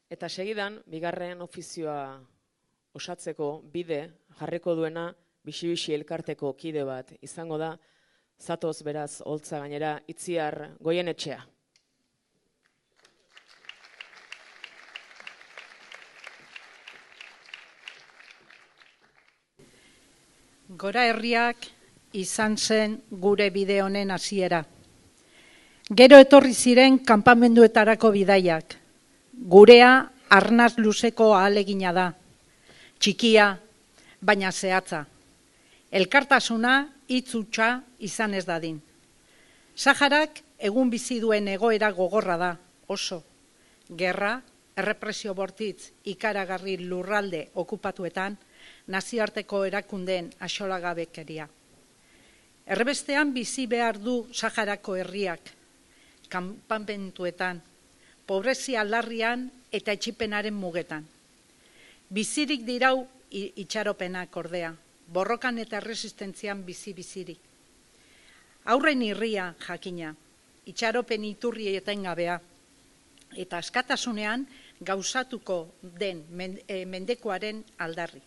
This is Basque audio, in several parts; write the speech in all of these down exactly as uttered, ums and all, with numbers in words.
Eta segidan, bigarren ofizioa osatzeko bide jarriko duena Bixi-Bixi elkarteko kide bat izango da, zatoz beraz holtza gainera Itziar Goienetxea. Gora herriak izan zen gure bide honen hasiera. Gero etorri ziren kanpamenduetarako bidaiak. Gurea arnaz luzeko ahalegina da. Txikia, baina zehatza. Elkartasuna hitz hutsa izan ez dadin. Saharak egun bizi duen egoera gogorra da, oso. Gerra, errepresio bortitz ikaragarri lurralde okupatuetan, nazioarteko erakundeen axolagabekeria. Erbestean bizi behar du Saharako herriak, kanpamentuetan, pobrezia larrian eta etxipenaren mugetan. Bizirik dirau itxaropenak ordea, borrokan eta resistentzian bizi-bizirik. Aurren irria jakina, itxaropen iturri etengabea, eta askatasunean gauzatuko den mendekoaren aldarri.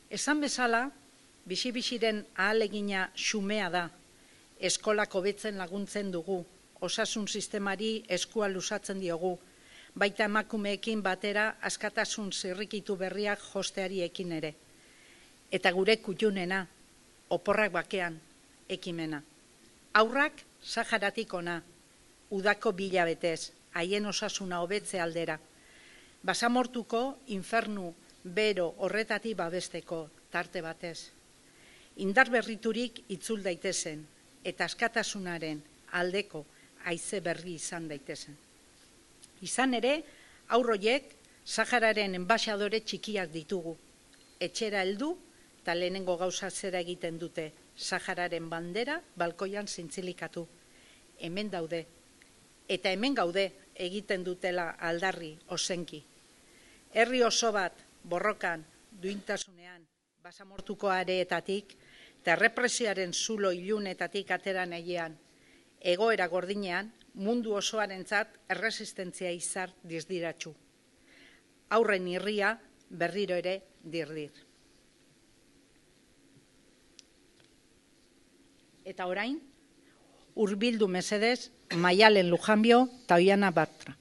Esan bezala, Bixi-Bixiren ahalegina xumea da, eskolak hobetzen laguntzen dugu, osasun sistemari eskua luzatzen diogu, baita emakumeekin batera askatasun zirrikitu berriak josteari ekin ere. Eta gure kutxunena, oporrak bakean, ekimena. Aurrak Saharatik ona, udako bilabetez, haien osasuna hobetze aldera. Basamortuko infernu bero horretatik babesteko tarte batez. Indar berriturik itzul daitezen, eta askatasunaren aldeko haize berri izan daitezen. Izan ere, aurroiek Sahararen enbaxadore txikiak ditugu. Etxera heldu eta lehenengo gauza zera egiten dute Sahararen bandera balkoian zintzilikatu. Hemen daude. Eta hemen gaude egiten dutela aldarri ozenki. Herri oso bat borrokan, duintasunean, basamortuko areetatik, eta errepresioaren zulo ilunetatik atera nahian, egoera gordinean, mundu osoarentzat erresistentzia izar dizdiratxu. Aurren irria berriro ere dirdir. Eta orain, hurbildu mesedez, Maialen Lujanbio eta Oiana Bartra.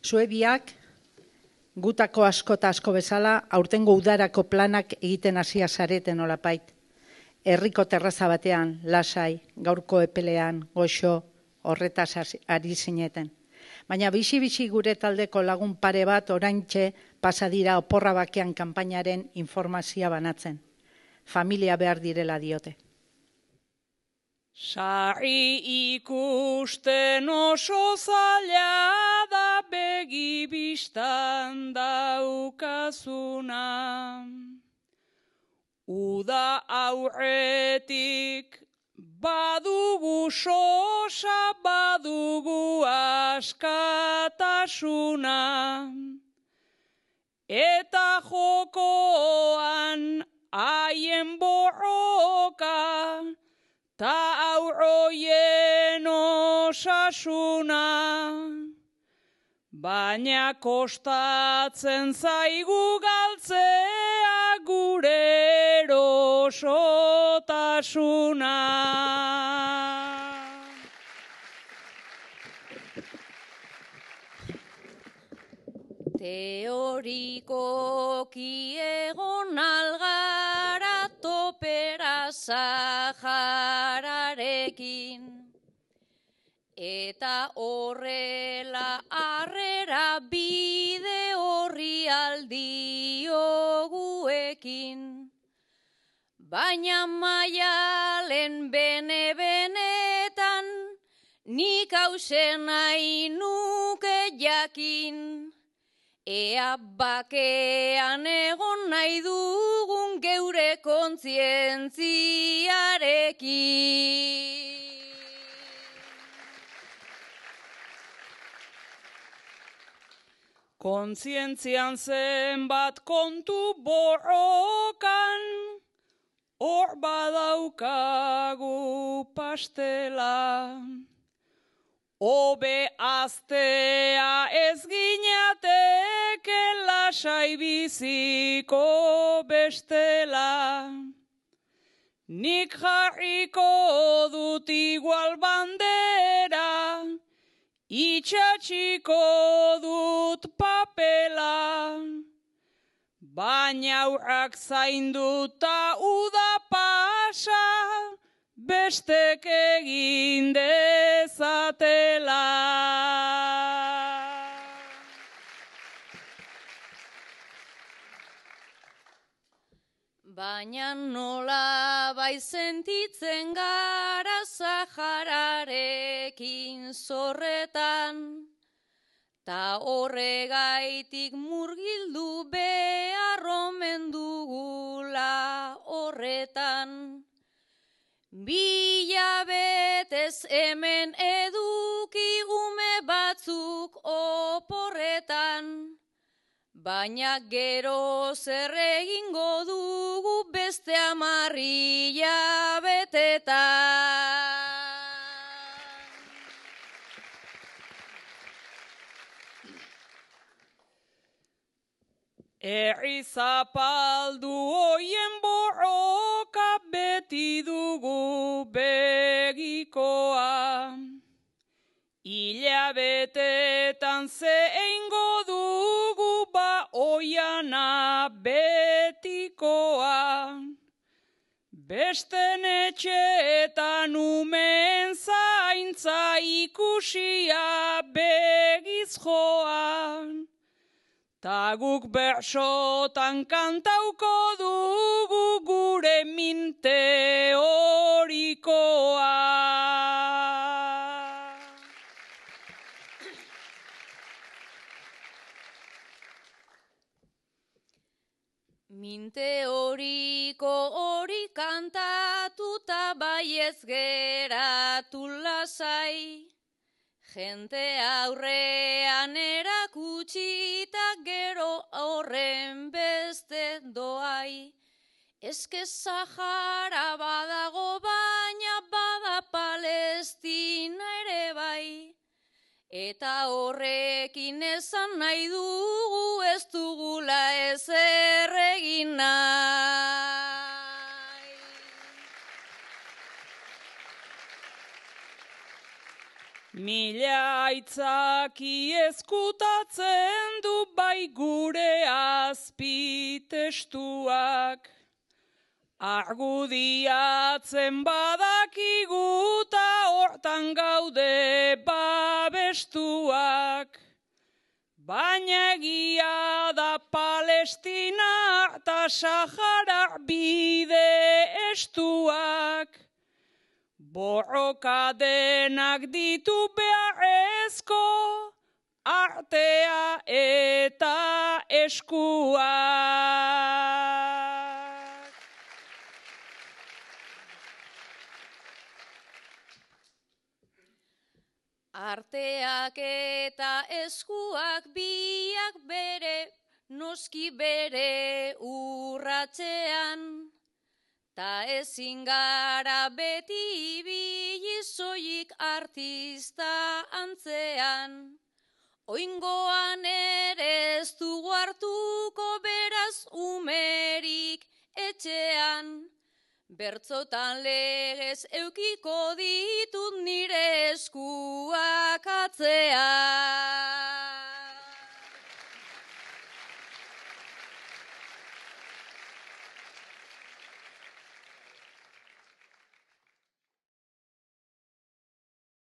Zue biak, gutako asko eta asko bezala, aurtengo udarako planak egiten hasia zareten olapait. Herriko terraza batean, lasai, gaurko epelean, goxo, horretaz ari zineten. Baina Bixi-Bixi gure taldeko lagun pare bat oraintxe pasadira oporra bakean kanpainaren informazioa banatzen. Familia behar direla diote. Sarri ikusten oso zaila da begi bistan daukazuna. Uda aurretik badugu sosa, badugu askatasuna. Eta jokoan haien borroka, ta aurroien osasuna. Baina kostatzen zaigu galtzea gure erosotasuna. Teorikoki egon algara topera Sahararekin, eta horrela harrera bide horri aldioguekin. Baina Maialen bene-benetan nik hausen nahi nuke jakin. Ea bakean egon nahi dugun geure kontzientziarekin. Kontzientzian zenbat kontu borrokan, hor badaukagu pastela. Obe aztea ez ginateke lasai biziko bestela. Nik jarriko dut igual bandera, itxatxiko dut papela. Baina aurrak zainduta uda pasa, bestek egin dezatela. Baina nola bai sentitzen gara Sahararekin zorretan, ta horregaitik murgildu behar omen dugula horretan. Bilabetez hemen eduki ume batzuk oporretan, baina gero zer egingo dugu beste hamar hilabetetan. Herri zapaldu hoien borroka beti dugu begikoa. Hilabetetan zeingo dugu ba oiana betikoa. Besten etxeetan umen zaintza ikusia begiz joan. Ta guk bersotan kantauko dugu gure min teorikoa. Min teoriko hori kantatuta baiez geratu lasai. Jente aurrean erakutsita gero horren beste doai. Eske Sahara badago baina bada Palestina ere bai. Eta horrekin esan nahi dugu ez dugula ezer egin nahi. Mila aitzaki ezkutatzen du bai gure azpitestuak. Argudiatzen badakigu ta hortan gaude babestuak. Baina egia da Palestina eta Sahara bide estuak. Borroka denak ditu beharrezko artea eta eskuak. Arteak eta eskuak biak bere, noski bere urratzean. Ta ezin gara beti ibili soilik artista antzean. Oingoan ere ez dugu hartuko beraz umerik etxean. Bertzotan legez eukiko ditu